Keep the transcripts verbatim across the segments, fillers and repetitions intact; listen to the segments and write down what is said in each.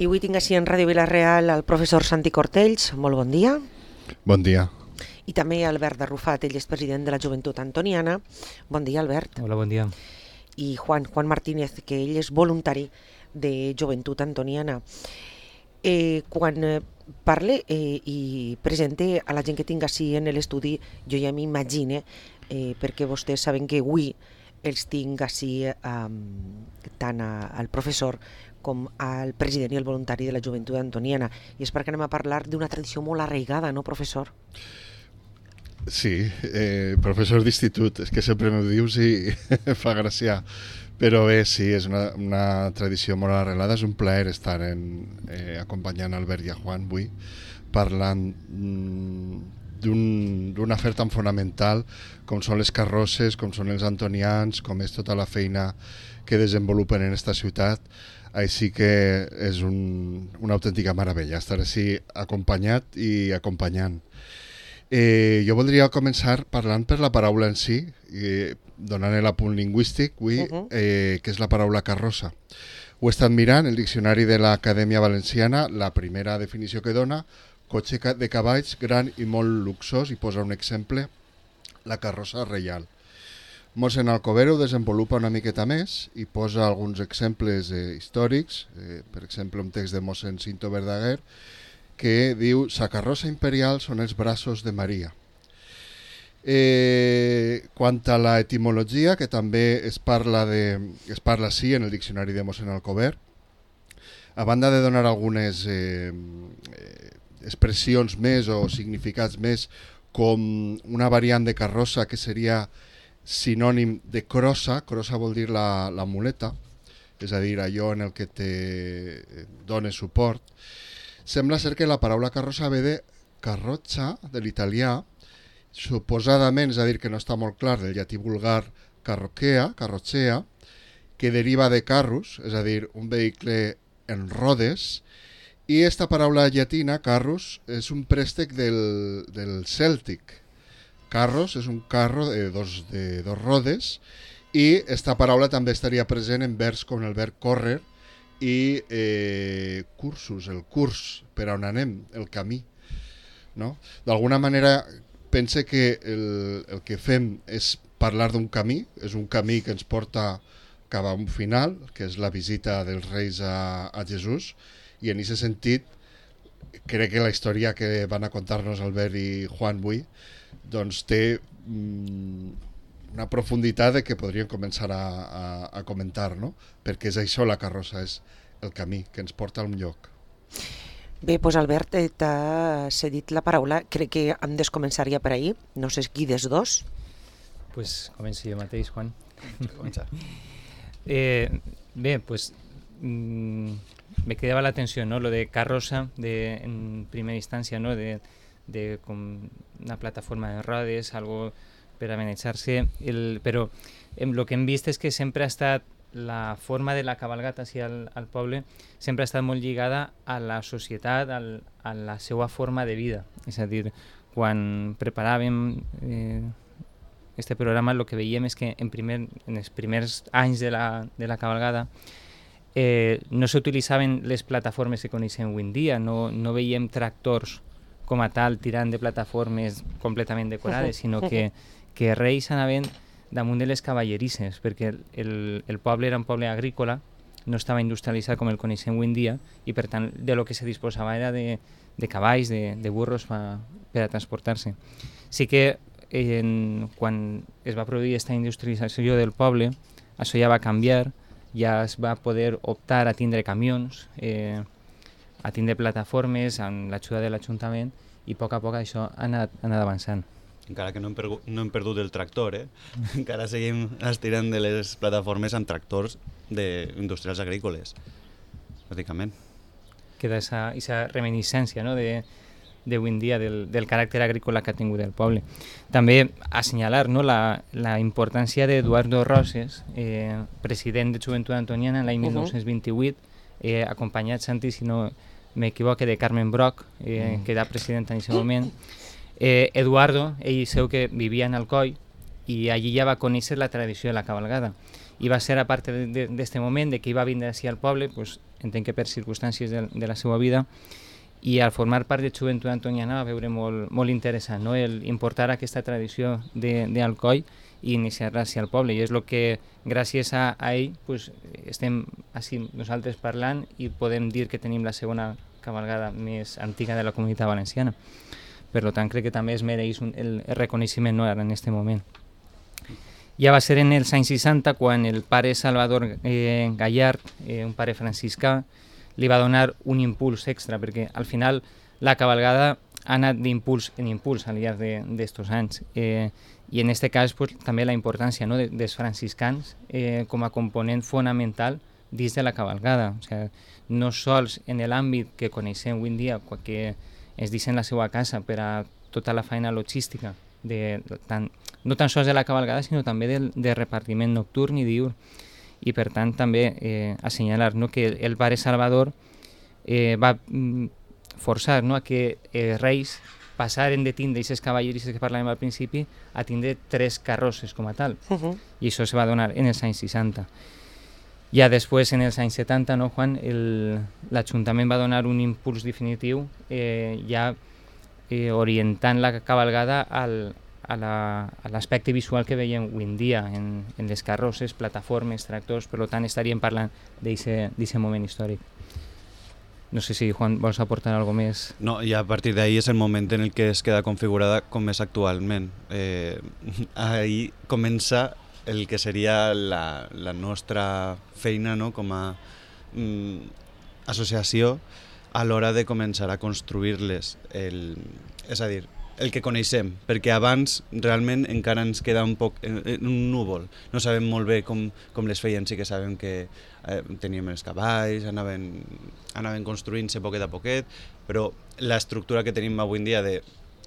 I avui tinc així en Ràdio Vila-real el professor Santi Cortells. Molt bon dia. Bon dia. I també Albert Arrufat, ell és president de la Joventut Antoniana. Bon dia, Albert. Hola, bon dia. I Juan, Juan Martínez, que ell és voluntari de Joventut Antoniana. Eh, quan eh, parle eh, i presente a la gent que tinc així en l'estudi, jo ja m'imagine, eh, perquè vostès saben que avui els tinc així eh, tant a, al professor com al president i el voluntari de la Joventut Antoniana. I és perquè anem a parlar d'una tradició molt arraigada, no, professor? Sí, eh, professor d'institut, és que sempre m'ho dius i fa gràcia. Però bé, sí, és una, una tradició molt arrelada. És un plaer estar en, eh, acompanyant Albert i a Juan avui, parlant mm, d'un afer tan fonamental com són les carrosses, com són els antonians, com és tota la feina que desenvolupen en esta ciutat. Així que és un, una autèntica meravella estar així acompanyat i acompanyant. Eh, jo voldria començar parlant per la paraula en si, eh, donant l'apunt lingüístic, avui, uh-huh. eh, que és la paraula carrossa. Ho he estat mirant, el diccionari de l'Acadèmia Valenciana, la primera definició que dona, cotxe de cavalls gran i molt luxós, i posa un exemple, la carrossa reial. Mossèn Alcover ho desenvolupa una miqueta més i posa alguns exemples eh, històrics, eh, per exemple un text de mossèn Cinto Verdaguer, que diu «Sa carrossa imperial són els braços de Maria». Eh, quant a la etimologia, que també es parla, de, es parla sí en el diccionari de mossèn Alcover, a banda de donar algunes eh, expressions més o significats més, com una variant de carrossa que seria sinònim de crossa, crossa vol dir la, la muleta, és a dir, allò en el que te dona suport. Sembla ser que la paraula carrossa ve de carrozza, de l'italià, suposadament, és a dir, que no està molt clar, del llatí vulgar carrochea, carrochea, que deriva de carrus, és a dir, un vehicle en rodes, i esta paraula llatina, carrus, és un préstec del, del cèltic. Carros és un carro de dos, de dos rodes i esta paraula també estaria present en verbs com el verb córrer i eh, cursus, el curs, per on anem, el camí. No? D'alguna manera pense que el, el que fem és parlar d'un camí, és un camí que ens porta cap a un final, que és la visita dels reis a, a Jesús, i en aquest sentit crec que la història que van a contar-nos Albert i Juan avui doncs té mm, una profunditat de que podríem començar a, a, a comentar, no? Perquè és això, la carrossa, és el camí que ens porta a un lloc. Bé, doncs Albert, t'ha cedit la paraula, crec que hem de començar ja per ahir, no sé qui des dos. Pues començo jo mateix, Juan. Comença. eh, bé, pues mmm, me quedava l'atenció, ¿no? Lo de carrossa, de, en primera instància, ¿no? De de com una plataforma de rodes, algo per amenaçar-se, però el que hem vist és que sempre ha estat la forma de la cabalgata hacia al, al poble sempre ha estat molt lligada a la societat, al, a la seva forma de vida. És a dir, quan preparàvem eh, este programa, el que veiem és que en, primer, en els primers anys de la, de la cabalgada eh, no s'utilitzaven les plataformes que coneixem avui en dia, no, no veiem tractors com a tal tirant de plataformes completament decorades, sinó que, que reis anaven damunt de les cavallerisses, perquè el, el poble era un poble agrícola, no estava industrialitzat com el coneixem avui en dia, i per tant de lo que se disposava era de, de cavalls, de, de burros pa, per a transportar-se. Sí que en, quan es va produir aquesta industrialització del poble, això ja va canviar, ja es va poder optar a tindre camions, eh, a tindre plataformes amb l'ajuda de l'Ajuntament, i a poc a poc això ha anat, ha anat avançant. Encara que no hem, perdut, no hem perdut el tractor, eh? Encara seguim estirant de les plataformes amb tractors de industrials agrícoles, bàsicament. Queda aquesta reminiscència, no? de d'avui en dia del, del caràcter agrícola que ha tingut el poble. També assenyalar, no? la, la importància d'Eduardo Roses, eh, president de Joventut Antoniana l'any uh-huh. mil nou-cents vint-i-vuit, eh, acompanyat, Santi, si no m'equivoque, de Carmen Broc, eh, mm. que era president en aquest moment. Eh, Eduardo, ell seu que vivia en Alcoi, i allí ja va conèixer la tradició de la cabalgada. I va ser a part d'aquest moment de que hi va vindre així al poble, pues, entenc que per circumstàncies de, de la seva vida, i al formar part de Joventut Antoniana va veure molt, molt interessant, no? El importar aquesta tradició d'Alcoi i iniciar-la així al poble, i és el que gràcies a, a ell pues, estem així nosaltres parlant i podem dir que tenim la segona cabalgada més antiga de la Comunitat Valenciana. Per tant, crec que també es mereix un, el, el reconeixement, no, ara en aquest moment. Ja va ser en els anys seixanta quan el pare Salvador eh, Gallard, eh, un pare franciscà, li va donar un impuls extra, perquè al final la cabalgada ha anat d'impuls en impuls al llarg d'aquests anys. Eh, I en aquest cas pues, també la importància, no, de, dels franciscans eh, com a component fonamental dins de la cabalgada. O sigui, no sols en l'àmbit que coneixem avui en dia, que es deixen la seva casa per a tota la feina logística, de, tant, no tan sols de la cabalgada, sinó també del, del repartiment nocturn i diurn. I per tant també eh, assenyalar, no, que el pare Salvador eh, va mm, forçar, no, a que els reis passaren de tindre aquestes cavallerisses que parlàvem al principi a tindre tres carrosses com a tal. Uh -huh. I això se va donar en els anys seixanta. Ja després, en els anys setanta, no, Juan, l'Ajuntament va donar un impuls definitiu eh, ja eh, orientant la cabalgada al, a l'aspecte visual que veiem avui en dia en, en les carrosses, plataformes, tractors, per tant estaríem parlant d'aquest moment històric. No sé si, Juan, vols aportar alguna cosa més? No, i a partir d'ahir és el moment en el que es queda configurada com és actualment. Eh, ahir comença el que seria la, la nostra feina, no, com a mm, associació a l'hora de començar a construir-les. El, és a dir, el que coneixem, perquè abans realment encara ens queda un poc en, en un núvol. No sabem molt bé com, com les feien, sí que sabem que eh, teníem els cavalls, anaven, anaven construint-se poquet a poquet, però l'estructura que tenim avui en dia de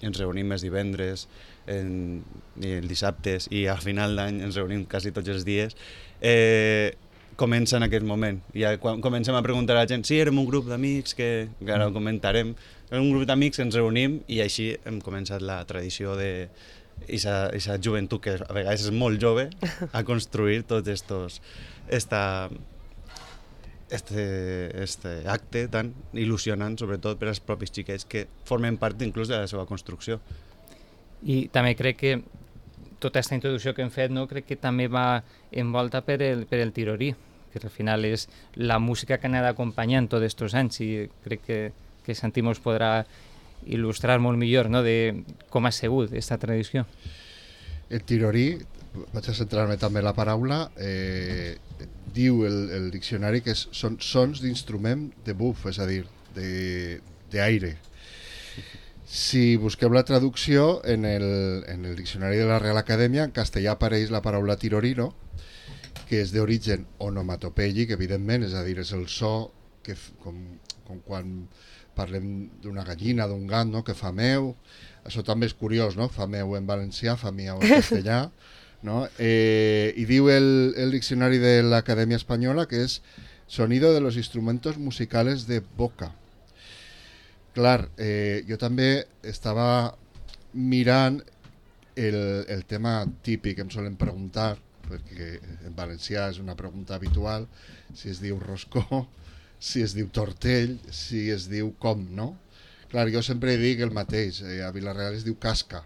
ens reunim els divendres, en, i els dissabtes i al final d'any ens reunim quasi tots els dies, eh, comença en aquest moment. I quan comencem a preguntar a la gent, sí, érem un grup d'amics, que, que ara ho comentarem, un grup d'amics ens reunim i així hem començat la tradició de aquesta joventut, que a vegades és molt jove, a construir tots estos, esta, este, este acte tan il·lusionant, sobretot per als propis xiquets que formen part inclús de la seva construcció. I també crec que tota aquesta introducció que hem fet, no, crec que també va envolta per el, per el tirorí, que al final és la música que ha anat acompanyant tots aquests anys, i crec que, que Santi mos podrà il·lustrar molt millor, no, de com ha sigut aquesta tradició. El tirorí, vaig a centrar-me també en la paraula, eh, diu el, el diccionari que és, són sons d'instrument de buf, és a dir, d'aire. Si busquem la traducció en el, en el diccionari de la Real Acadèmia, en castellà apareix la paraula tirorino, que és d'origen onomatopèic, evidentment, és a dir, és el so que, com, com quan parlem d'una gallina, d'un gat, no?, que fa meu. Això també és curiós, no?, fa meu en valencià, fa miau en castellà, no? Eh, I diu el, el diccionari de l'Acadèmia Espanyola que és sonido de los instrumentos musicales de boca. Clar, eh, jo també estava mirant el, el tema típic que em solen preguntar, perquè en valencià és una pregunta habitual, si es diu roscó, si es diu tortell, si es diu com, no? Clar, jo sempre dic el mateix, eh, a Vila-real es diu casca,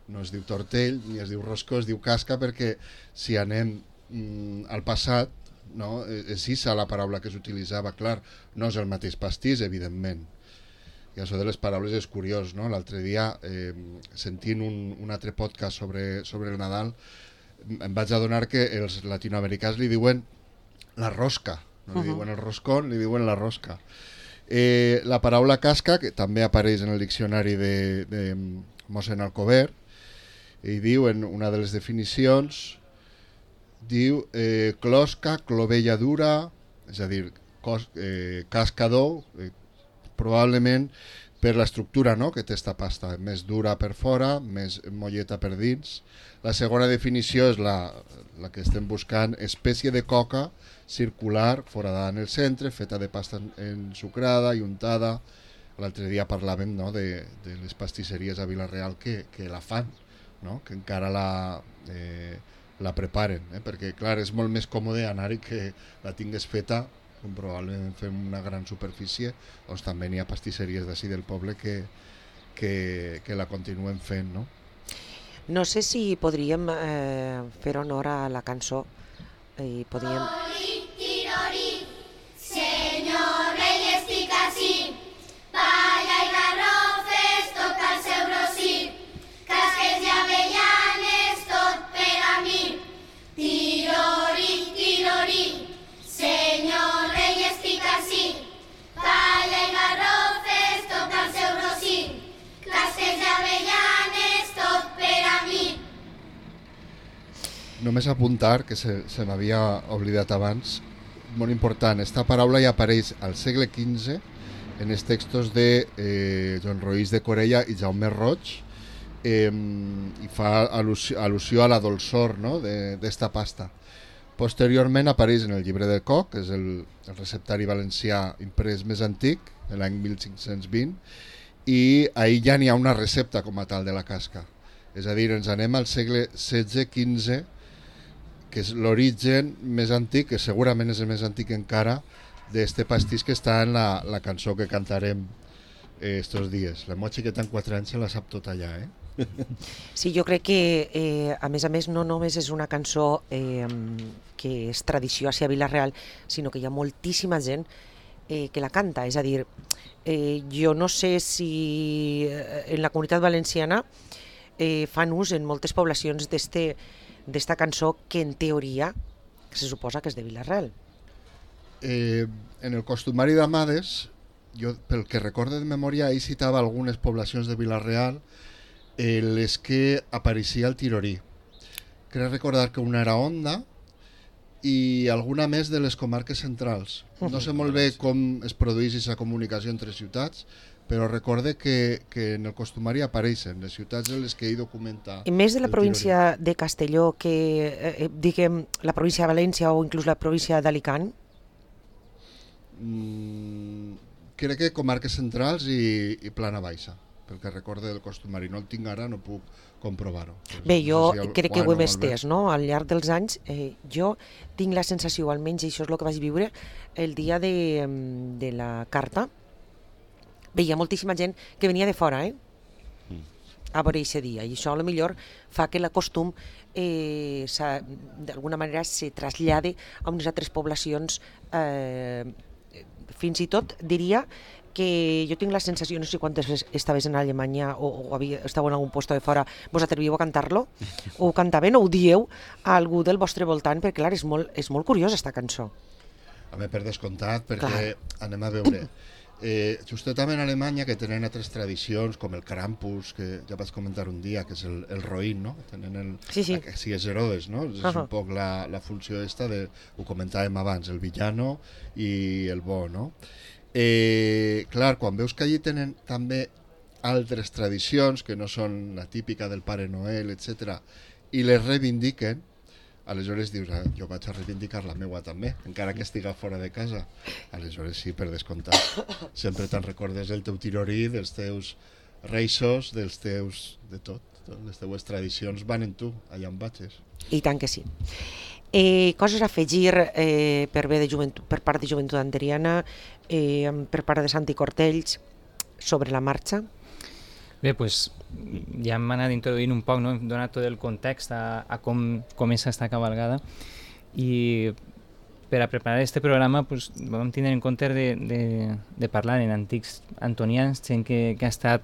no es diu tortell ni es diu roscó, es diu casca, perquè si anem mm, al passat, no, és issa la paraula que s'utilitzava, clar, no és el mateix pastís, evidentment. I això de les paraules és curiós, no? L'altre dia, eh, sentint un, un altre podcast sobre, sobre el Nadal, em vaig adonar que els latinoamericans li diuen la rosca, no li uh -huh. diuen el roscón, li diuen la rosca. Eh, la paraula casca, que també apareix en el diccionari de, de mossèn Alcover, i diu en una de les definicions, diu eh, closca, clovella dura, és a dir, cos, eh, cascador, eh, probablement per l'estructura, no?, que té esta pasta, més dura per fora, més molleta per dins. La segona definició és la, la que estem buscant, espècie de coca circular, foradada en el centre, feta de pasta ensucrada i untada. L'altre dia parlàvem, no?, de, de les pastisseries a Vila-real que, que la fan, no?, que encara la, eh, la preparen, eh? Perquè clar, és molt més còmode anar-hi que la tingues feta, com probablement fem una gran superfície, doncs també n'hi ha pastisseries d'ací del poble que, que, que la continuen fent, no? No sé si podríem eh, fer honor a la cançó i podríem... Oli, tirori, senyor rei estic ací, palla i garrofes, tot al seu rossí, casques i avellanes, tot per a mi. Tirori, tirori, senyor rei estic ací, palla i garrofes, tot al seu rossí, casques i avellanes, tot per a mi. Només apuntar, que se, se m'havia oblidat abans, molt important, esta paraula ja apareix al segle quinze en els textos de eh, Joan Roís de Corella i Jaume Roig, eh, i fa al·lusió, al·lusió a la dolçor, no?, d'esta pasta. Posteriorment apareix en el llibre de Coc, que és el, el receptari valencià imprès més antic, de l'any mil cinc-cents vint, i ahir ja n'hi ha una recepta com a tal de la casca. És a dir, ens anem al segle setze quinze, que és l'origen més antic, que segurament és el més antic encara, d'este pastís que està en la, la cançó que cantarem eh, estos dies. La Mochi, que té quatre anys, se la sap tot allà, eh? Sí, jo crec que, eh, a més a més, no només és una cançó eh, que és tradició a Vila-real, sinó que hi ha moltíssima gent eh, que la canta. És a dir, eh, jo no sé si en la Comunitat Valenciana eh, fan ús en moltes poblacions d'este d'esta cançó que en teoria se suposa que és de Vila-real. Eh, en el costumari d'Amades, jo pel que recorde de memòria, ell citava algunes poblacions de Vila-real eh, les que apareixia el tirorí. Crec recordar que una era Onda i alguna més de les comarques centrals. No sé molt bé com es produeix aquesta comunicació entre ciutats, però recorde que, que en el costumari apareixen les ciutats en les que ell documenta. I més de la província de Castelló que, eh, diguem, la província de València o inclús la província d'Alicant? Mm, crec que comarques centrals i, i Plana Baixa, pel que recorde del costumari. No el tinc ara, no puc comprovar-ho. Bé, jo no sé si el, crec que ho bueno, hem estès, no? Al llarg dels anys, eh, jo tinc la sensació, almenys això és el que vaig viure, el dia de, de la carta, veia moltíssima gent que venia de fora, eh? a veure aquest dia, i això a lo millor fa que la costum eh, d'alguna manera se trasllade a unes altres poblacions, eh, fins i tot diria que jo tinc la sensació, no sé quantes vegades estaves en Alemanya o, o havia, estàveu en algun lloc de fora, vos atrevíeu a cantar-lo? O ho cantaven o ho dieu a algú del vostre voltant? Perquè clar, és molt, és molt curiosa aquesta cançó. Home, per descomptat, perquè Clar. anem a veure. Eh, justament en Alemanya, que tenen altres tradicions, com el Krampus, que ja vaig comentar un dia, que és el, el roïn, no? Tenen el, Sí, sí. La, sí, és Herodes, no? És Uh-huh. un poc la, la funció esta, de, ho comentàvem abans, el villano i el bo, no? Eh, clar, quan veus que allí tenen també altres tradicions, que no són la típica del Pare Noel, etcètera, i les reivindiquen, aleshores dius, ah, jo vaig a reivindicar la meua també, encara que estiga fora de casa. Aleshores sí, per descomptat. Sempre te'n recordes del teu tirorí, dels teus reixos, dels teus... de tot. Les teues tradicions van en tu, allà on vagis. I tant que sí. Eh, coses a afegir eh, per, bé de joventut, per part de Joventut Anteriana, eh, per part de Santi Cortells, sobre la marxa? Bé, doncs ja hem anat introduint un poc, no? Hem donat tot el context a, a com comença esta cabalgada, i per a preparar este programa pues, vam tenir en compte de, de, de parlar en antics antonians, gent que, que ha estat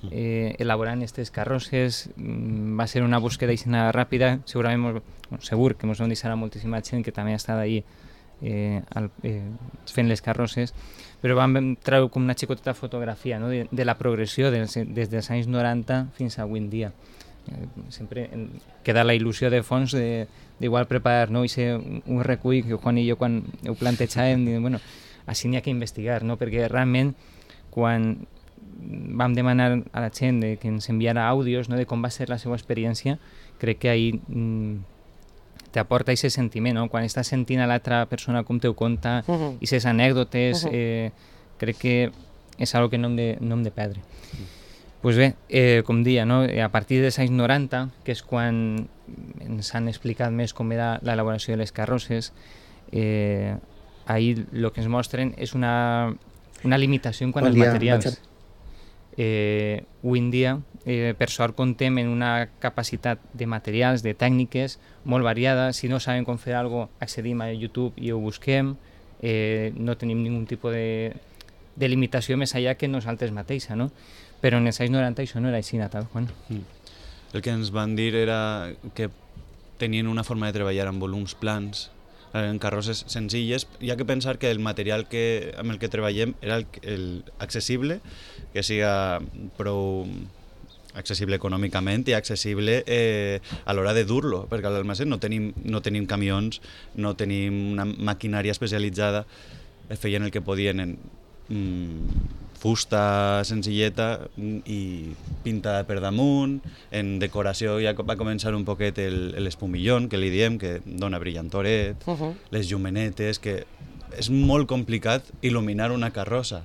eh, elaborant aquestes carrosses. Va ser una búsqueda ràpida, segurament, bueno, segur que ens vam deixar moltíssima gent que també ha estat ahí eh, al, eh, fent les carrosses, però vam treure com una xicoteta fotografia, no? de, de la progressió des, des dels anys noranta fins a avui en dia. Eh, sempre en, queda la il·lusió de fons d'igual preparar, no? I ser un, un recull que Juan i jo quan ho plantejàvem, diem, bueno, així n'hi ha que investigar, no? Perquè realment quan vam demanar a la gent de que ens enviara àudios, no? De com va ser la seva experiència, crec que ahir mm, t'aporta aquest sentiment, no? Quan estàs sentint a l'altra persona com t'ho conta, i uh-huh. aquestes anècdotes, uh-huh. eh, crec que és una que no hem de, no hem de perdre. Uh-huh. Pues bé, eh, com dia, no? A partir dels anys noranta, que és quan ens han explicat més com era l'elaboració de les carrosses. Eh, ahir el que ens mostren és una, una limitació en quant Bon als dia, materials. vaig Eh, avui en dia, eh, per sort, contem en una capacitat de materials, de tècniques molt variada. Si no sabem com fer alguna cosa, accedim a YouTube i ho busquem. Eh, no tenim ningun tipus de, de limitació més allà que nosaltres mateixa, no? Però en els anys noranta això no era així, tal, Juan. Mm. El que ens van dir era que tenien una forma de treballar amb volums plans, en carrosses senzilles. Hi ha que pensar que el material que, amb el que treballem era el, el accessible, que siga prou accessible econòmicament i accessible eh, a l'hora de dur-lo, perquè a l'almacén no tenim, no tenim camions, no tenim una maquinària especialitzada, feien el que podien en mm, fusta senzilleta i pintada per damunt. En decoració ja va començar un poquet l'espumillón, que li diem, que dona brillantoret, uh -huh. les llumenetes, que és molt complicat il·luminar una carrossa.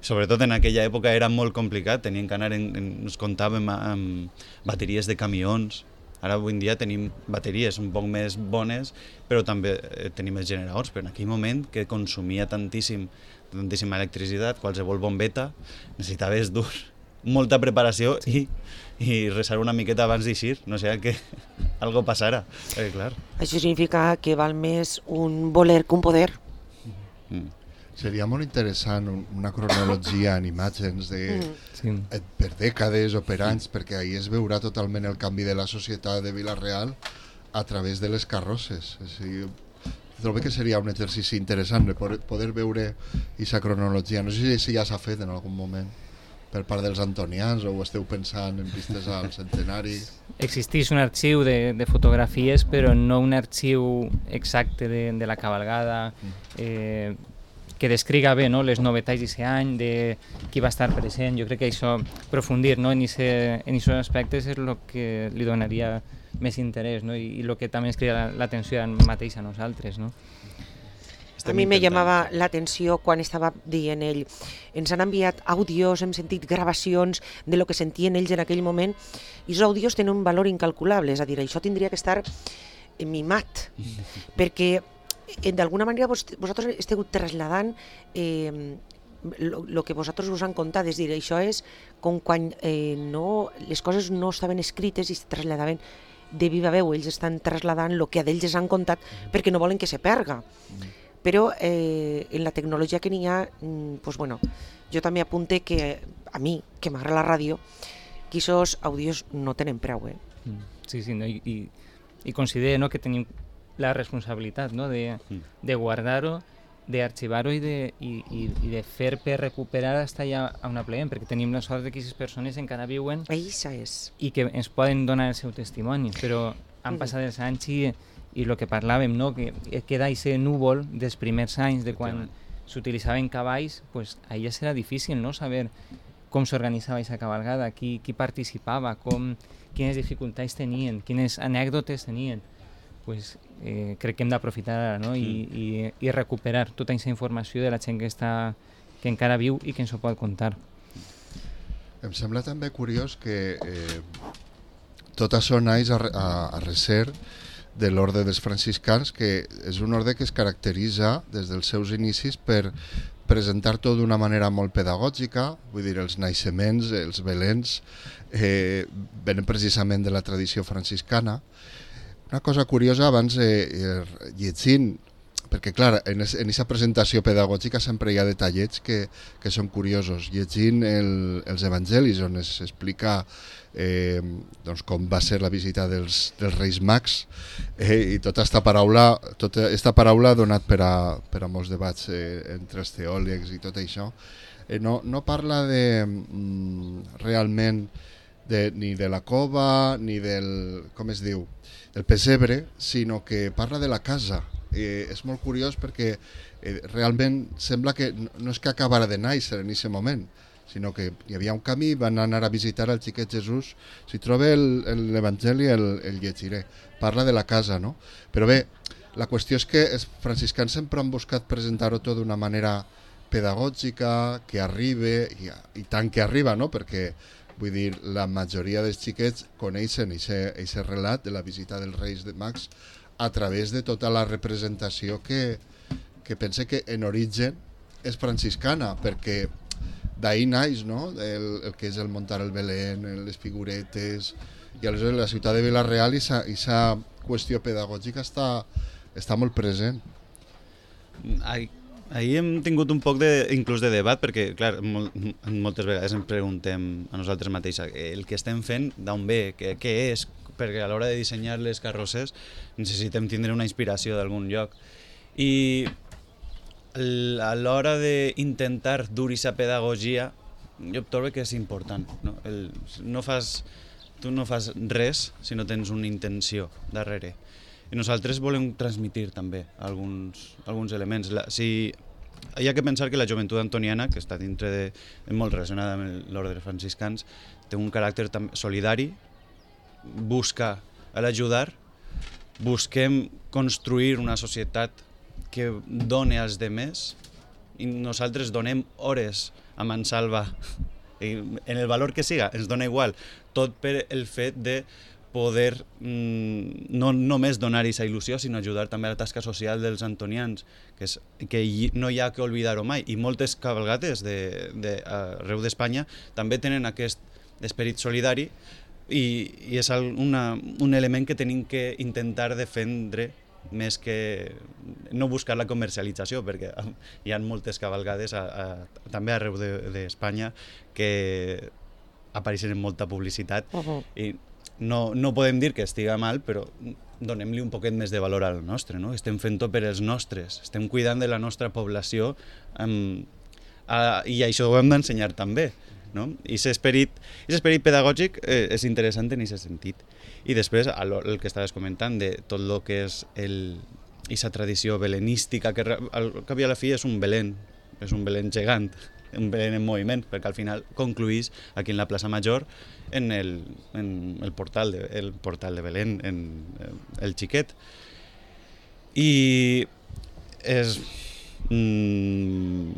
Sobretot en aquella època era molt complicat, tenien que anar, en, en, ens comptàvem amb bateries de camions. Ara avui en dia tenim bateries un poc més bones, però també eh, tenim els generadors, però en aquell moment que consumia tantíssim tantíssima electricitat, qualsevol bombeta, necessitaves dur molta preparació i, i resar una miqueta abans d'eixir, no sé que algo passara. Eh, clar. Això significa que val més un voler que un poder. Mm. Seria molt interessant una cronologia en imatges de, mm. sí. per dècades o per anys, perquè ahir es veurà totalment el canvi de la societat de Vila-real a través de les carrosses. És a dir, trobo que seria un exercici interessant de poder, poder veure aquesta cronologia. No sé si ja s'ha fet en algun moment per part dels antonians o ho esteu pensant en vistes al centenari. Existeix un arxiu de, de fotografies, però no un arxiu exacte de, de la cabalgada, eh, que descriga bé, no, les novetats d'aquest any, de qui va estar present. Jo crec que això, aprofundir, no, en aquests aspectes és el que li donaria més interès, no? I el que també ens crida l'atenció mateix a nosaltres, no? A mi me llamava l'atenció quan estava dient ell, ens han enviat àudios, hem sentit gravacions de lo que sentien ells en aquell moment, i els àudios tenen un valor incalculable, és a dir, això tindria que estar mimat, perquè d'alguna manera vos, vosaltres esteu traslladant eh, el que vosaltres us han contat, és dir, això és com quan eh, no, les coses no estaven escrites i es traslladaven de viva veu, ells estan traslladant el que a ells han contat perquè no volen que se perga. Però eh, en la tecnologia que n'hi ha, pues bueno, jo també apunte que a mi, que m'agrada la ràdio, que aquests àudios no tenen preu. Eh? Sí, sí, no? I, i, i considero, no, que tenim la responsabilitat, no, de, de guardar-ho, d'arxivar-ho i, de, i, i, i de fer per recuperar fins allà on apleguem, perquè tenim la sort que aquestes persones encara viuen Això és. i que ens poden donar el seu testimoni, però han mm. passat els anys i, i el que parlàvem, no, que queda aquest núvol dels primers anys de quan s'utilitzaven cavalls, pues, allà serà difícil, no, saber com s'organitzava aquesta cabalgada, qui, qui participava, com, quines dificultats tenien, quines anècdotes tenien. Pues, eh, crec que hem d'aprofitar ara, no? I, i, i recuperar tota aquesta informació de la gent que, està, que encara viu i que ens ho pot contar. Em sembla també curiós que eh, tot això naix a, a, a recer de l'orde dels franciscans, que és un orde que es caracteritza des dels seus inicis per presentar tot d'una manera molt pedagògica, vull dir, els naixements, els belens, eh, venen precisament de la tradició franciscana. Una cosa curiosa, abans eh, llegint, perquè clar, en aquesta presentació pedagògica sempre hi ha detallets que, que són curiosos. Llegint el, els evangelis on es explica eh, doncs com va ser la visita dels, dels Reis Mags eh, i tota aquesta paraula, tota esta paraula ha donat per a, per a molts debats eh, entre els teòlegs i tot això. Eh, no, no parla de mm, realment de, ni de la cova ni del, com es diu, del pessebre, sinó que parla de la casa. Eh, és molt curiós perquè eh, realment sembla que no, no és que acabara de néixer en aquest moment, sinó que hi havia un camí, van anar a visitar el xiquet Jesús. Si trobe l'Evangeli el, el llegiré. Parla de la casa, no? Però bé, la qüestió és que els franciscans sempre han buscat presentar-ho tot d'una manera pedagògica, que arribe, i, i tant que arriba, no? Perquè Vull dir, la majoria dels xiquets coneixen aquest relat de la visita dels Reis de Mags a través de tota la representació que, que pense que en origen és franciscana, perquè d'ahir naix, no? el, el que és el muntar el Belén, les figuretes, i aleshores la ciutat de Vila-real i aquesta qüestió pedagògica està, està molt present. Ai. Ahir hem tingut un poc de, inclús de debat, perquè clar, mol, moltes vegades ens preguntem a nosaltres mateixos el que estem fent, d'on ve, què, què és, perquè a l'hora de dissenyar les carrosses necessitem tindre una inspiració d'algun lloc. I a l'hora d'intentar dur aquesta pedagogia, jo trobo que és important. No? El, no fas, tu no fas res si no tens una intenció darrere. I nosaltres volem transmitir també alguns, alguns elements. La, si, hi ha que pensar que la joventut antoniana, que està dintre de, molt relacionada amb l'ordre franciscans, té un caràcter solidari, busca l'ajudar, busquem construir una societat que doni als demés i nosaltres donem hores a mansalva, en el valor que siga, ens dona igual, tot per el fet de poder mm, no només donar aquesta il·lusió, sinó ajudar també a la tasca social dels antonians, que, és, que hi, no hi ha que oblidar-ho mai. I moltes cabalgates de, de, arreu d'Espanya també tenen aquest esperit solidari i, i és una, un element que tenim que intentar defendre més que no buscar la comercialització, perquè hi ha moltes cabalgades a, a, també arreu d'Espanya que apareixen en molta publicitat uh-huh. i No, no podem dir que estiga mal, però donem-li un poquet més de valor al nostre, no? Estem fent-ho per els nostres, estem cuidant de la nostra població um, a, i això ho hem d'ensenyar també, no? I aquest esperit, esperit pedagògic eh, és interessant en aquest sentit. I després el, el que estaves comentant de tot el que és aquesta tradició belenística, que al cap i a la fi és un Belén, és un Belén gegant, un Belén en moviment, perquè al final concluís aquí en la plaça Major en el, en el, portal, de, el portal de Belén, en el Xiquet. I és mm,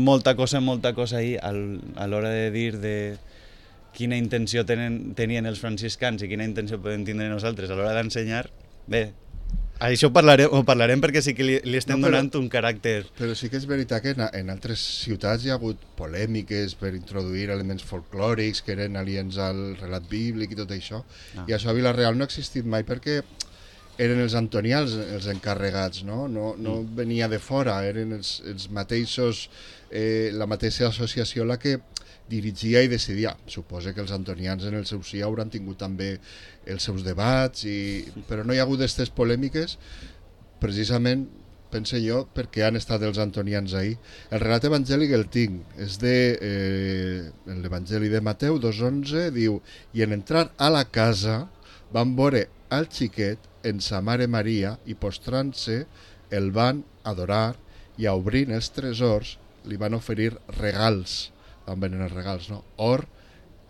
molta cosa, molta cosa ahí al, a l'hora de dir de quina intenció tenen, tenien els franciscans i quina intenció podem tindre nosaltres a l'hora d'ensenyar. Bé, això ho parlarem, ho parlarem perquè sí que li, li estem no, però, donant un caràcter. Però sí que és veritat que en, en altres ciutats hi ha hagut polèmiques per introduir elements folclòrics que eren aliens al relat bíblic i tot això. Ah. I això a Vila-real no ha existit mai perquè eren els antonians els encarregats, no? No, no mm. venia de fora, eren els, els mateixos, eh, la mateixa associació la que dirigia i decidia. Suposa que els antonians en el seu si hauran tingut també els seus debats, i, però no hi ha hagut aquestes polèmiques precisament, pense jo, perquè han estat els antonians ahir. El relat evangèlic el tinc, és de eh, l'Evangeli de Mateu dos onze, diu: i en entrar a la casa van veure al xiquet en sa mare Maria i postrant-se el van adorar i obrint els tresors li van oferir regals. Van venir els regals, no? Or,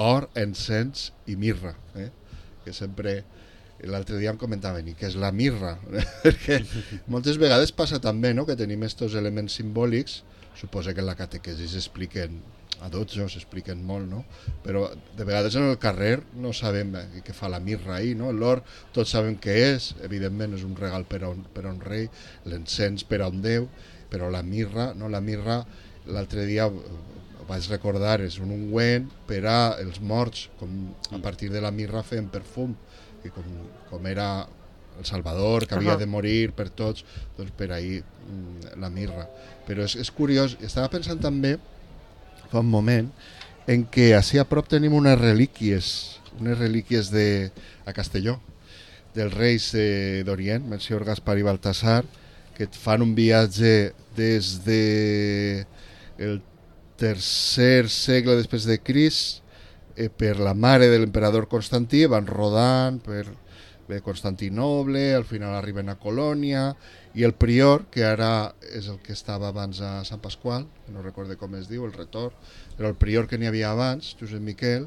or, encens i mirra, eh? Que sempre, l'altre dia em comentaven, i què és la mirra? Perquè moltes vegades passa també, no?, que tenim aquests elements simbòlics, suposa que en la catequesi s'expliquen a dotze, s'expliquen molt, no? Però de vegades en el carrer no sabem eh, què fa la mirra ahir, no? L'or tots sabem què és, evidentment és un regal per a un, per a un rei, l'encens per a un déu, però la mirra, no? La mirra, l'altre dia vaig recordar, és un ungüent per a els morts, com a partir de la mirra feien perfum, i com, com era el Salvador, que havia uh-huh. de morir per tots, doncs per ahir la mirra. Però és, és curiós, estava pensant també, fa un moment, en què així a prop tenim unes relíquies, unes relíquies de, a Castelló, dels reis eh, d'Orient, Melcior, Gaspar i Baltasar, que et fan un viatge des de el tercer segle després de Crist eh, per la mare de l'emperador Constantí, van rodant per bé, Constantinoble, al final arriben a Colònia, i el prior, que ara és el que estava abans a Sant Pasqual, no recordo com es diu, el retor, però el prior que n'hi havia abans, Josep Miquel,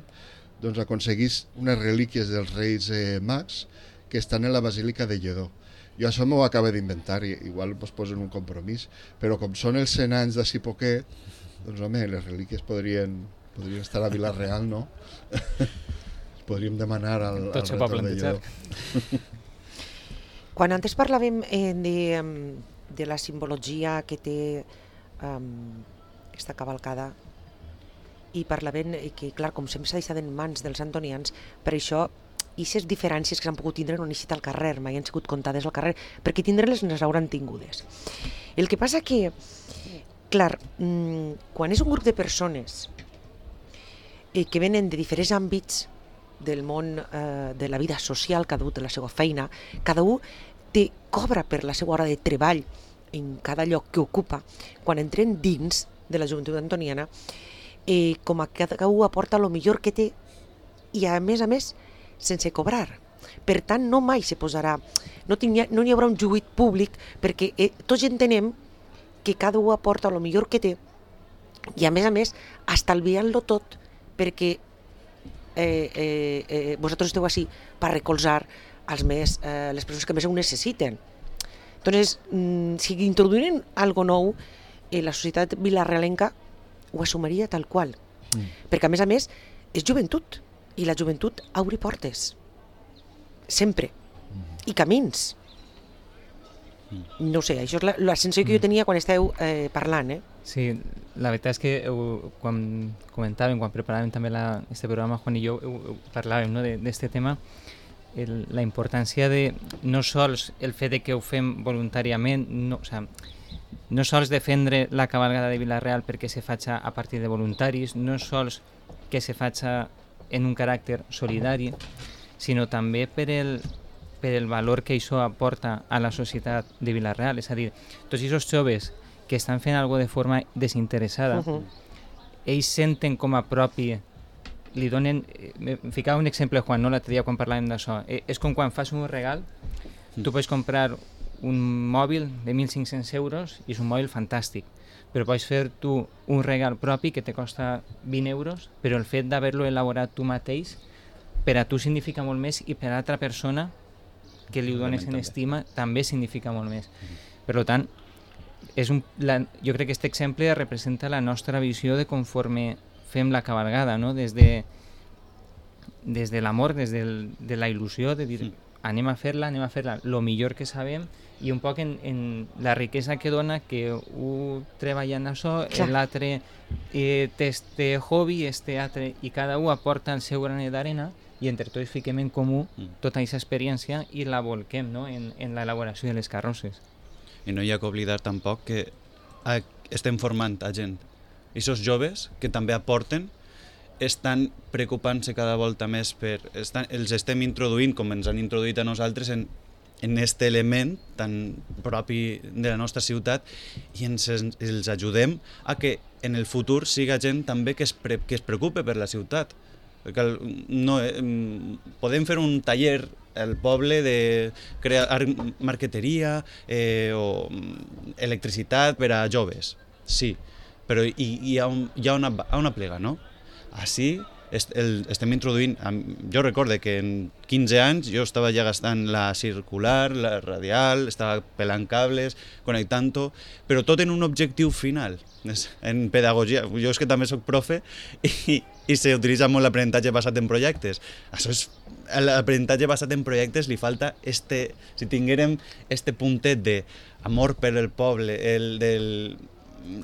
doncs aconseguís unes relíquies dels reis eh, mags que estan en la Basílica de Lledó. Jo això m'ho acabo d'inventar, i igual us posen un compromís, però com són els cent anys d'ací poquet, doncs home, les relíquies podrien Podria estar a Vila-real, no? Podríem demanar al, Tot al s'ho pot retordellador. Quan antes parlàvem eh, de, em, de la simbologia que té um, aquesta cavalcada, i parlaven eh, que, clar, com sempre s'ha deixat en mans dels antonians, per això aquestes diferències que s'han pogut tindre no han eixit al carrer, mai han sigut comptades al carrer, perquè tindre-les les hauran tingudes. El que passa que, clar, mmm, quan és un grup de persones eh, que venen de diferents àmbits del món eh, de la vida social, cada un té la seva feina, cada un té, cobra per la seva hora de treball en cada lloc que ocupa, quan entren dins de la joventut antoniana, eh, com a cada un aporta el millor que té i a més a més sense cobrar. Per tant, no mai se posarà, no, tinc, no hi haurà un juit públic perquè eh, tots entenem que cada un aporta el millor que té i a més a més estalviant-lo tot perquè eh, eh, eh, vosaltres esteu així per recolzar els més, eh, les persones que més ho necessiten. Entonces, mm, si introduïren algo nou, eh, la societat vilarealenca ho assumiria tal qual. Mm. Perquè a més a més és joventut i la joventut obri portes. Sempre. Mm. I camins. Mm. No sé, això és la, la sensació que jo tenia quan esteu eh, parlant, eh? Sí, la veritat és que heu, quan comentàvem, quan preparàvem també la, este programa, Juan i jo, heu, heu, parlàvem, no, d'aquest tema, el, la importància de no sols el fet de que ho fem voluntàriament, no, o sea, no sols defendre la cabalgada de Vila-real perquè se faça a partir de voluntaris, no sols que se faça en un caràcter solidari, sinó també per el, per el valor que això aporta a la societat de Vila-real. És a dir, tots aquests joves que estan fent alguna de forma desinteressada, uh-huh. ells senten com a propi, li donen... Em ficava un exemple, Juan, no, l'altre dia quan parlàvem d'això. Eh, és com quan fas un regal, tu pots comprar un mòbil de mil cinc-cents euros i és un mòbil fantàstic, però pots fer tu un regal propi que te costa vint euros, però el fet d'haver-lo elaborat tu mateix per a tu significa molt més i per a l'altra persona que li ho dones en estima també significa molt més. Per tant, és un, la, jo crec que aquest exemple representa la nostra visió de conforme fem la cabalgada, no? Des de, des de l'amor, des del, de la il·lusió de dir anem a fer-la, anem a fer-la el millor que sabem i un poc en, en la riquesa que dona que un treballa en això, l'altre eh, té este hobby, este altre, i cada un aporta el seu granet d'arena i entre tots fiquem en comú tota aquesta experiència i la volquem, no? en, en l'elaboració de les carrosses. I no hi ha que oblidar tampoc que a, estem formant a gent. I aquests joves que també aporten estan preocupant-se cada volta més per... Estan, els estem introduint, com ens han introduït a nosaltres, en en aquest element tan propi de la nostra ciutat i ens, els ajudem a que en el futur siga gent també que es, pre, que es preocupe per la ciutat. Perquè no, eh, podem fer un taller al poble de crear marqueteria eh, o electricitat per a joves, sí, però hi, hi, ha, un, hi ha una, una plega, no? Així est, el, estem introduint, jo recordo que en quinze anys jo estava ja gastant la circular, la radial, estava pelant cables, connectant-ho, però tot en un objectiu final, en pedagogia. Jo és que també soc profe i, i s'utilitza molt l'aprenentatge basat en projectes. Això és, l'aprenentatge basat en projectes li falta este, si tinguérem este puntet d'amor per el poble, el del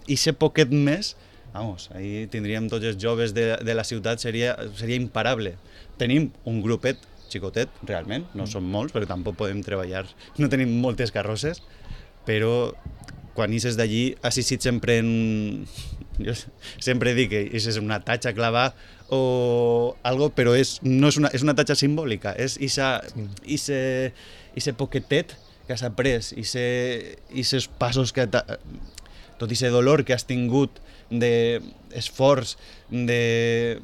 i ser poquet més, vamos, ahí tindríem tots els joves de, de la ciutat, seria, seria imparable. Tenim un grupet xicotet, realment, no són molts, perquè tampoc podem treballar, no tenim moltes carrosses, però quan ixes d'allí has eixit sempre en... Jo sempre dic que és una tatxa clavada o algo, però és, no és, una, és una tatxa simbòlica, és ese poquetet que has après, aquests passos que... tot aquest dolor que has tingut d'esforç, de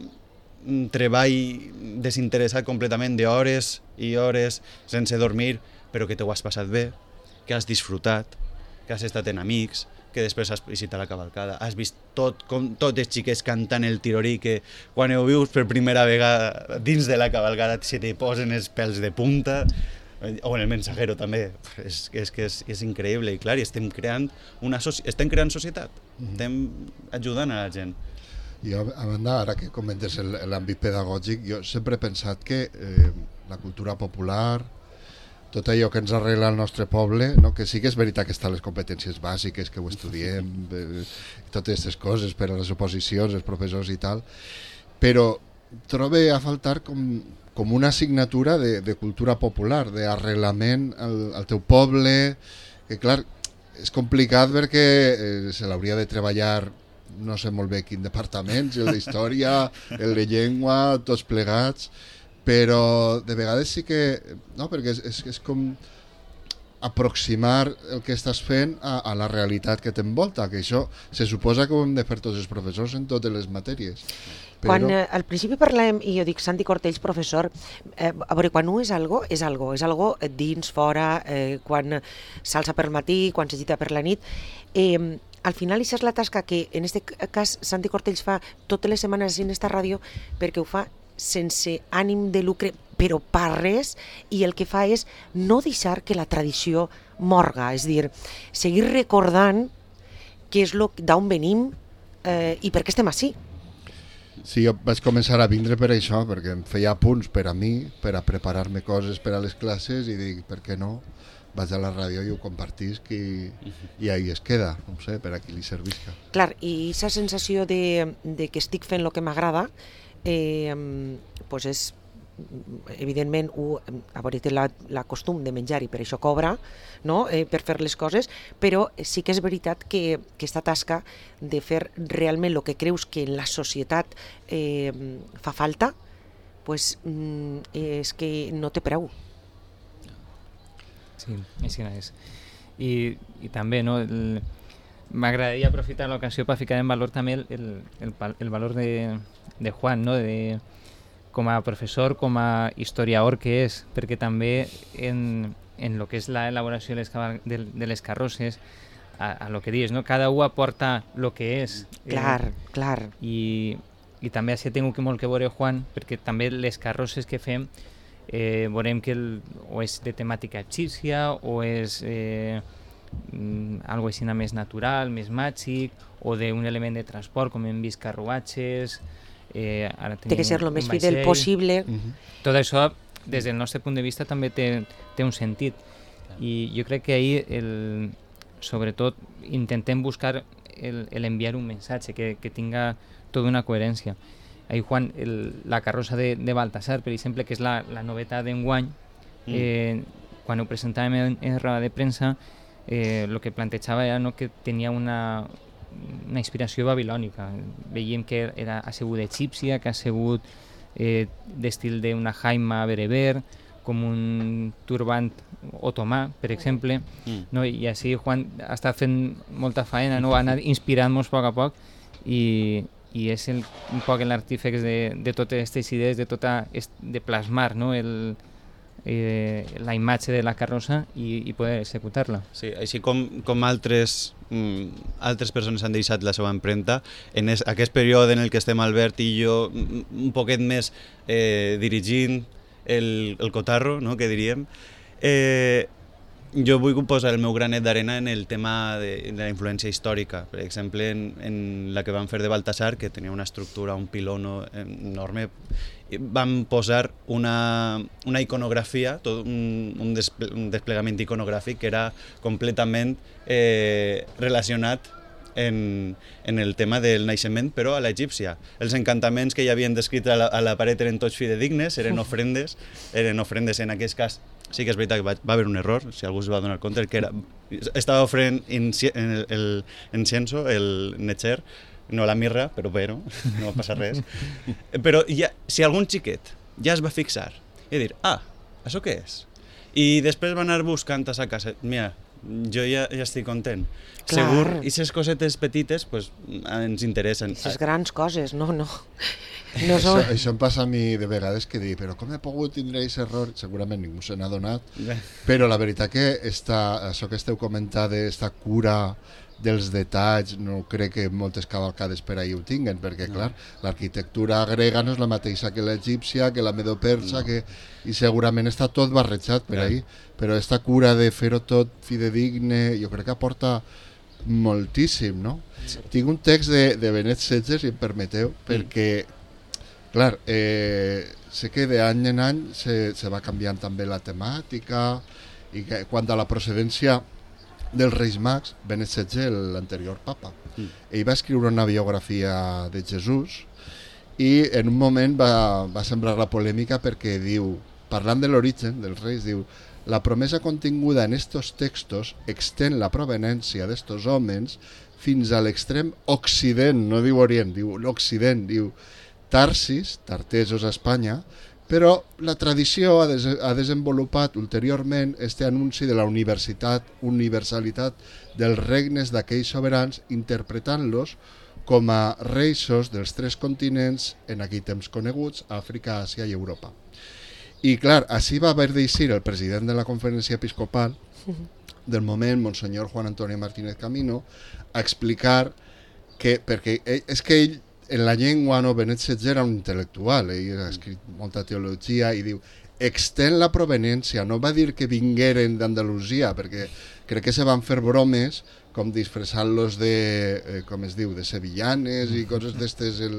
treball desinteressat completament, d'hores i hores sense dormir, però que t'ho has passat bé, que has disfrutat, que has estat en amics, que després has visitat la cavalcada, has vist tot, com tots els xiquets cantant el tirorí, que quan ho vius per primera vegada dins de la cavalcada se te posen els pèls de punta, o en el mensajero també, és, és que és, és increïble i clar, i estem creant una estem creant societat, estem ajudant a la gent. Jo, a banda, ara que comentes el- l'àmbit pedagògic, jo sempre he pensat que eh, la cultura popular, tot allò que ens arregla el nostre poble, no? Que sí que és veritat que estan les competències bàsiques, que ho estudiem, eh, totes aquestes coses per a les oposicions, els professors i tal, però trobe a faltar com, com una assignatura de, de cultura popular, d'arreglament al, al teu poble, que clar, és complicat perquè eh, se l'hauria de treballar no sé molt bé quin departament, el d'història, el de llengua, tots plegats, però de vegades sí que, no, perquè és, és, és com aproximar el que estàs fent a, a la realitat que t'envolta, que això se suposa que ho hem de fer tots els professors en totes les matèries. Però... Quan eh, al principi parlàvem, i jo dic Santi Cortells, professor, eh, a veure, quan un és algo, és algo, és algo dins, fora, eh, quan s'alça per matí, quan s'agita per la nit. Eh, al final, això és la tasca que, en aquest cas, Santi Cortells fa totes les setmanes en esta ràdio, perquè ho fa sense ànim de lucre, però per res, i el que fa és no deixar que la tradició morga, és a dir, seguir recordant què és lo, d'on venim eh, i per què estem ací. Sí, jo vaig començar a vindre per això, perquè em feia apunts per a mi, per a preparar-me coses per a les classes, i dic, per què no? Vaig a la ràdio i ho compartisc i, i ahí es queda, no sé, per a qui li servisca. Clar, i aquesta sensació de, de que estic fent el que m'agrada, eh, pues és, evidentment, u, a veure, té la, la costum de menjar i per això cobra, no? eh, per fer les coses, però sí que és veritat que, que aquesta tasca de fer realment el que creus que en la societat eh, fa falta, pues, mm, és que no té preu. Sí, així no és. I, i també, no, el, m'agradaria aprofitar l'ocasió per ficar en valor també el, el, el, el valor de, de Juan, no? De, com a professor, com a historiador que és, perquè també en, en lo que és l'elaboració de, les, de, de les carrosses, a, a lo que dius, no? Cada un aporta lo que és. Clar, eh, clar. I, i també així tinc que molt que veure Juan, perquè també les carrosses que fem eh, veurem que el, o és de temàtica egípcia o és eh, algo així més natural, més màgic, o d'un element de transport, com hem vist carruatges. Eh, ara té que ser el més vaixell. fidel possible. Uh-huh. Tot això, des del nostre punt de vista, també té, té un sentit. I jo crec que ahir, el, sobretot, intentem buscar el, el enviar un missatge que, que tinga tota una coherència. Ahir, Juan, el, la carrossa de, de Baltasar, per exemple, que és la, la novetat d'enguany, mm. eh, quan ho presentàvem en, en roda de premsa, eh, el que plantejava era, no, que tenia una, una inspiració babilònica. Veiem que era, ha sigut egípcia, que ha sigut eh, d'estil d'una jaima bereber, com un turbant otomà, per exemple, mm. no? I així Juan ha estat fent molta faena, no? Ha anat inspirant-nos a poc a poc, i, i és el, un poc l'artífex de, de totes aquestes idees, de, tota, de plasmar, no? el, eh, la imatge de la carrossa i, i poder executar-la. Sí, així com, com altres, mm, altres persones han deixat la seva empremta, en es, aquest període en el que estem Albert i jo un poquet més eh, dirigint el, el cotarro, no?, que diríem, eh, jo vull posar el meu granet d'arena en el tema de, de la influència històrica. Per exemple, en, en la que vam fer de Baltasar, que tenia una estructura, un pilono enorme, vam posar una, una iconografia, tot un, un, desple, un desplegament iconogràfic que era completament eh, relacionat en, en el tema del naixement, però a l'egípcia. Els encantaments que hi havien descrit a la, a la paret eren tots fidedignes, eren ofrendes, eren ofrendes en aquest cas. Sí que és veritat que va, va haver un error, si algú es va donar compte, que era, estava ofrent el, el incienso, el netxer, no la mirra, però bé, no, no va passar res. Però ja, si algun xiquet ja es va fixar i dir, ah, això què és? I després va anar buscant a sa casa, mira, jo ja, ja estic content. Clar. Segur, i aquestes cosetes petites pues, ens interessen. Aquestes grans coses, no, no. no això, són... això em passa a mi de vegades que dic, però com he pogut tindre aquest error? Segurament ningú se n'ha donat, però la veritat que esta, això que esteu comentant d'esta cura dels detalls, no crec que moltes cavalcades per ahir ho tinguen, perquè no. Clar, l'arquitectura grega no és la mateixa que l'egípcia, que la medo-persa, no. que... i segurament està tot barrejat per ahir, però aquesta cura de fer-ho tot fidedigne, jo crec que aporta moltíssim, no? Sí. Tinc un text de, de Benet setze, si em permeteu, perquè, clar, eh, sé que d'any en any se, se va canviant també la temàtica, i que, quant a la procedència dels Reis Mags, Benet setze, l'anterior papa, mm. ell va escriure una biografia de Jesús i en un moment va, va sembrar la polèmica perquè diu, parlant de l'origen dels reis, diu: la promesa continguda en estos textos extén la provenència d'estos homes fins a l'extrem occident, no diu orient, diu l'occident, diu Tarsis, tartesos a Espanya, però la tradició ha, des ha desenvolupat ulteriorment este anunci de la universitat, universalitat dels regnes d'aquells sobirans, interpretant-los com a reixos dels tres continents en aquell temps coneguts, Àfrica, Àsia i Europa. I clar, així va haver d'eixir el president de la conferència episcopal del moment, Monsenyor Juan Antonio Martínez Camino, a explicar que, perquè ell, és que ell en la llengua, no, Benet setze era un intel·lectual, ell ha escrit molta teologia i diu, extén la provenència, no va dir que vingueren d'Andalusia, perquè crec que se van fer bromes com disfressant-los de, eh, com es diu, de sevillanes i coses d'estes, el,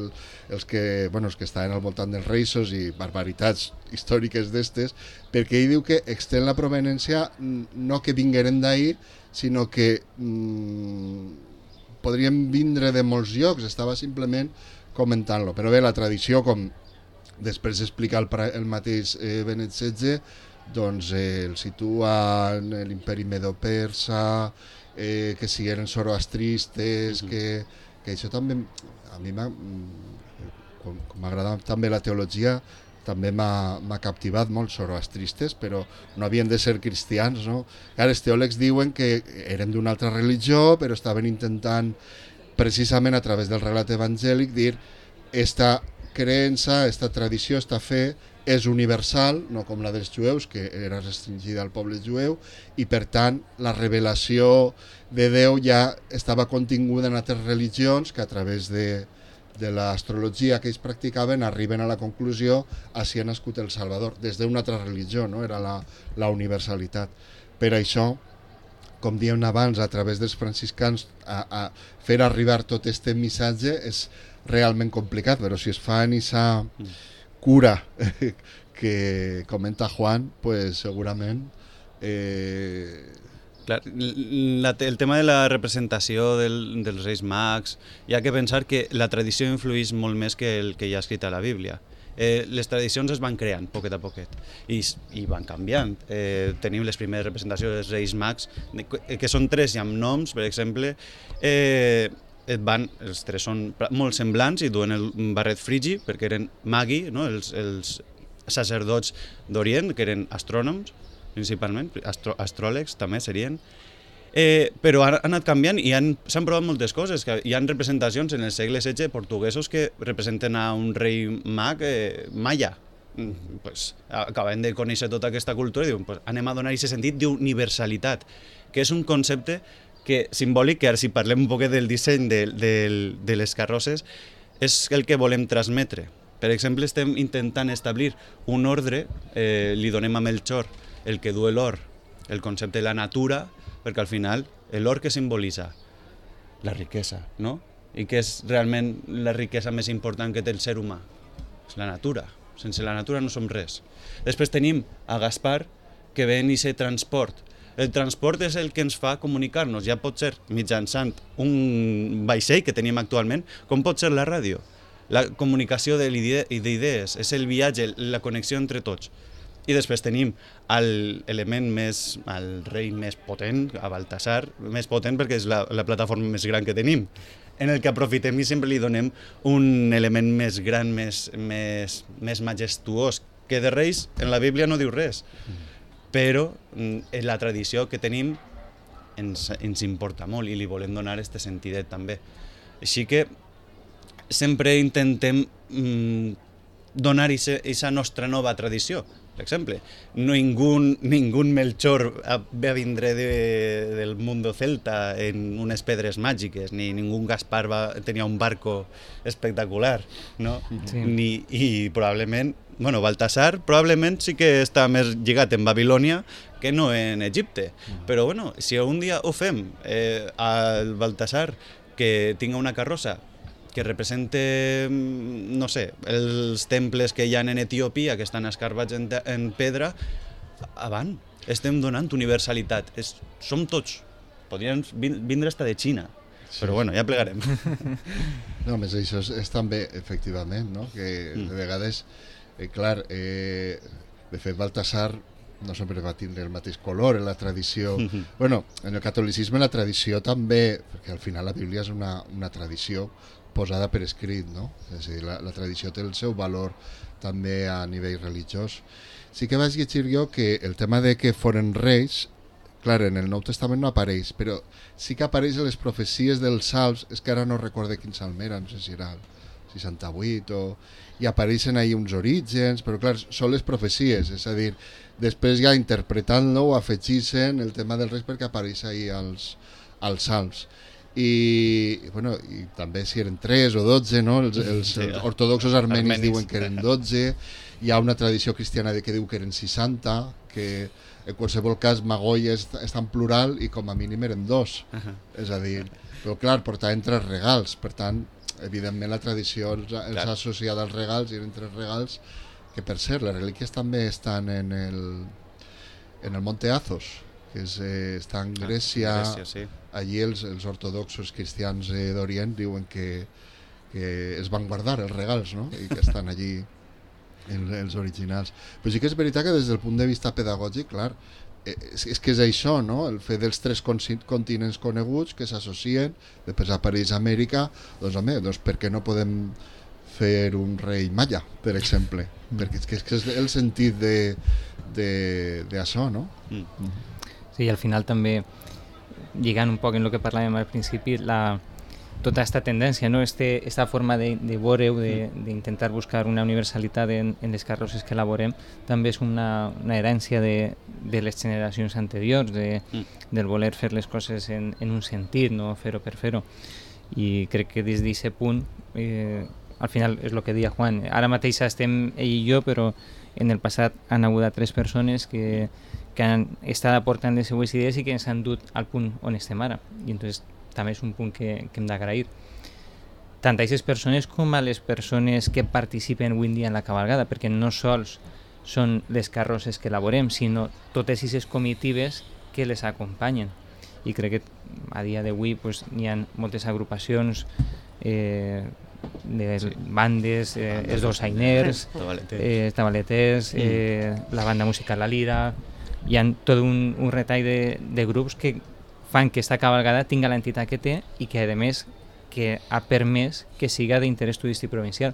els, que, bueno, els que estaven al voltant dels reixos i barbaritats històriques d'estes, perquè ell diu que extén la provenència no que vingueren d'ahir, sinó que mm, podrien vindre de molts llocs, estava simplement comentant-lo. Però bé, la tradició, com després d'explicar el, el mateix eh, Benet setze, doncs eh, el situa en l'imperi medo-persa, eh, que si eren zoroastristes, uh-huh. que, que això també, a mi m'ha, com, com m'agrada també la teologia, també m'ha captivat molt zoroastristes, però no havien de ser cristians, no? Clar, els teòlegs diuen que eren d'una altra religió, però estaven intentant, precisament a través del relat evangèlic, dir esta creença, esta tradició, esta fe, és universal, no com la dels jueus, que era restringida al poble jueu, i per tant la revelació de Déu ja estava continguda en altres religions que a través de, de l'astrologia que ells practicaven arriben a la conclusió així ha nascut el Salvador, des d'una altra religió, no? Era la, la universalitat. Per això, com diem abans, a través dels franciscans, a, a fer arribar tot aquest missatge és realment complicat, però si es fa en aquesta cura que comenta Juan, pues segurament... Eh... Clar, la, el tema de la representació del, dels Reis Mags, hi ha que pensar que la tradició influeix molt més que el que hi ha escrit a la Bíblia. Eh, les tradicions es van creant poquet a poquet i, i van canviant. Eh, tenim les primeres representacions dels Reis Mags, que són tres i amb noms, per exemple. Eh, van, els tres són molt semblants i duen el barret frigi perquè eren magi, no? els, els sacerdots d'Orient, que eren astrònoms principalment, astro, astròlegs també serien, eh, però han, han anat canviant i s'han provat moltes coses. Que hi ha representacions en el segle setze portuguesos que representen a un rei mag eh, maia. Mm, pues, acaben de conèixer tota aquesta cultura i diuen, pues, anem a donar aquest sentit d'universalitat, que és un concepte que simbòlic, que ara si parlem un poc del disseny de, de, de les carrosses, és el que volem transmetre. Per exemple, estem intentant establir un ordre, eh, li donem a Melchor el que du l'or, el concepte de la natura, perquè al final l'or que simbolitza la riquesa, no? I que és realment la riquesa més important que té el ser humà, és la natura. Sense la natura no som res. Després tenim a Gaspar, que ven i se transport. El transport és el que ens fa comunicar-nos, ja pot ser mitjançant un vaixell que tenim actualment, com pot ser la ràdio. La comunicació d'idees, és el viatge, la connexió entre tots. I després tenim l'element més, el rei més potent, a Baltasar, més potent perquè és la, la plataforma més gran que tenim, en el que aprofitem i sempre li donem un element més gran, més, més, més majestuós, que de reis en la Bíblia no diu res. Però en la tradició que tenim ens, ens importa molt i li volem donar aquest sentidet també. Així que sempre intentem mm, donar aquesta nostra nova tradició. Per exemple, ningú, ningú Melchor va vindre de, del mundo celta en unes pedres màgiques, ni ningú Gaspar va, tenia un barco espectacular, no? Sí. Ni, i probablement, bueno, Baltasar probablement sí que està més lligat en Babilònia que no en Egipte. Però bueno, si un dia ho fem eh, al Baltasar que tinga una carrossa que represente, no sé, els temples que hi ha en Etiòpia, que estan escarbats en, en pedra, avant, estem donant universalitat. És, som tots. Podrien vindre hasta de Xina, sí. Però bueno, ja plegarem. No, més això és, és també, efectivament, no? Que mm. de vegades, eh, clar, eh, de fet, Baltasar no sempre va tindre el mateix color en la tradició. Mm-hmm. Bueno, en el catolicisme la tradició també, perquè al final la Bíblia és una, una tradició posada per escrit, no? És a dir, la, la tradició té el seu valor també a nivell religiós. Sí que vaig llegir jo que el tema de que foren reis, clar, en el Nou Testament no apareix, però sí que apareix en les profecies dels salms, és que ara no recorde quin salm era, no sé si era el seixanta-vuit o... i apareixen ahí uns orígens, però clar, són les profecies, és a dir, després ja interpretant-lo o afegint el tema dels reis perquè apareix ahí als, als salms. I, bueno, i també si eren tres o dotze, no? Els, els, sí, els ortodoxos armenis, armenis diuen que eren dotze, hi ha una tradició cristiana que diu que eren seixanta, que en qualsevol cas Magoia està en plural i com a mínim eren dos, uh -huh. És a dir, però clar, portaven tres regals, per tant, evidentment la tradició els, els ha associat als regals i eren tres regals, que per cert, les relíquies també estan en el, en el Monte Athos, que és, eh, està en Grècia, ah, Grècia sí. Allí els, els ortodoxos cristians eh, d'Orient diuen que, que es van guardar els regals, no? I que estan allí els, els originals. Però sí que és veritat que des del punt de vista pedagògic, clar, eh, és, és que és això, no? El fet dels tres continents coneguts que s'associen, després apareix Amèrica, doncs home, doncs per què no podem fer un rei maia, per exemple? Mm. Perquè és que, és que és el sentit de, de, de això, no? Mm. Sí, i al final també, lligant un poc en el que parlàvem al principi, la, tota aquesta tendència, no? este, esta forma de, de veure-ho, d'intentar buscar una universalitat en, en les carrosses que elaborem, també és una, una herència de, de les generacions anteriors, de, mm. del voler fer les coses en, en un sentit, no fer-ho per fer-ho. I crec que des d'aquest punt, eh, al final és el que deia Juan, ara mateix estem ell i jo, però en el passat han hagut tres persones que que han estat aportant les seues idees i que ens han dut al punt on estem ara. I entonces també és un punt que, que hem d'agrair. Tant a aquestes persones com a les persones que participen avui en dia en la cabalgada, perquè no sols són les carrosses que elaborem, sinó totes aquestes comitives que les acompanyen. I crec que a dia d'avui pues, hi ha moltes agrupacions, eh, de sí. bandes, eh, els dolçainers, eh, tabaleters, eh, la banda musical La Lira. Hi ha tot un, un retall de, de grups que fan que aquesta cabalgada tinga l'entitat que té i que, a més, que ha permès que siga d'interès turístic provincial.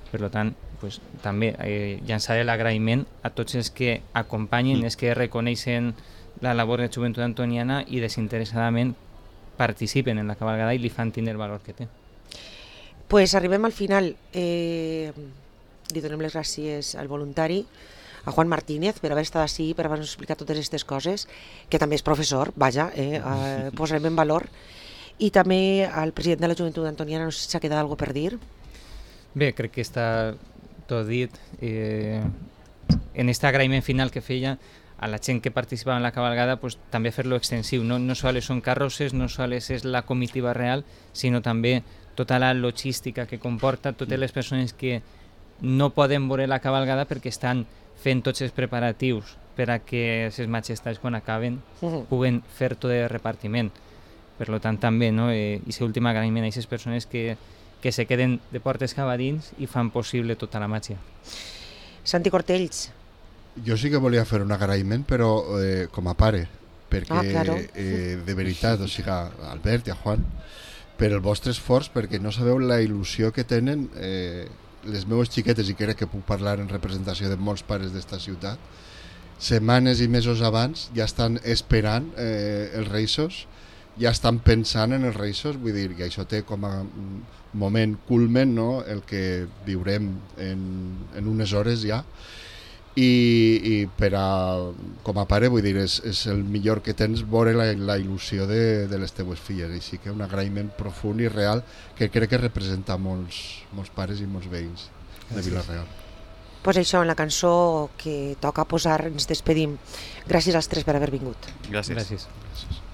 Per tant, pues, també eh, llançaré l'agraïment a tots els que acompanyen, mm. els que reconeixen la labor de Joventut Antoniana i desinteressadament participen en la cabalgada i li fan tindre el valor que té. Pues arribem al final. Eh, li donem les gràcies al voluntari, a Juan Martínez, per haver estat així, per haver-nos explicat totes aquestes coses, que també és professor, vaja, eh, eh, posarem en valor. I també al president de la Joventut Antoniana, no sé si s'ha quedat alguna per dir. Bé, crec que està tot dit. Eh, en aquest agraïment final que feia a la gent que participava en la cabalgada, pues, també fer-lo extensiu. No, no sols són carrosses, no sols és la comitiva real, sinó també tota la logística que comporta, totes les persones que no poden veure la cabalgada perquè estan fent tots els preparatius per a que les majestats, quan acaben, uh-huh. puguen fer tot el repartiment. Per tant, també, no? Eh, i l'últim agraïment a aquestes persones que, que se queden de portes cap a dins i fan possible tota la màgia. Santi Cortells. Jo sí que volia fer un agraïment, però eh, com a pare, perquè, ah, claro. eh, de veritat, o sigui, a Albert i a Juan, per el vostre esforç, perquè no sabeu la il·lusió que tenen eh, les meves xiquetes, i crec que puc parlar en representació de molts pares d'esta ciutat, setmanes i mesos abans ja estan esperant eh, els Reixos ja estan pensant en els Reis, vull dir que això té com a moment culmen, no? El que viurem en, en unes hores ja, i, i per a, com a pare, vull dir, és, és el millor que tens veure la, la il·lusió de, de les teues filles, així que un agraïment profund i real que crec que representa molts, molts pares i molts veïns de Vila-real. Pues això, en la cançó que toca posar ens despedim. Gràcies als tres per haver vingut. Gràcies. Gràcies. Gràcies.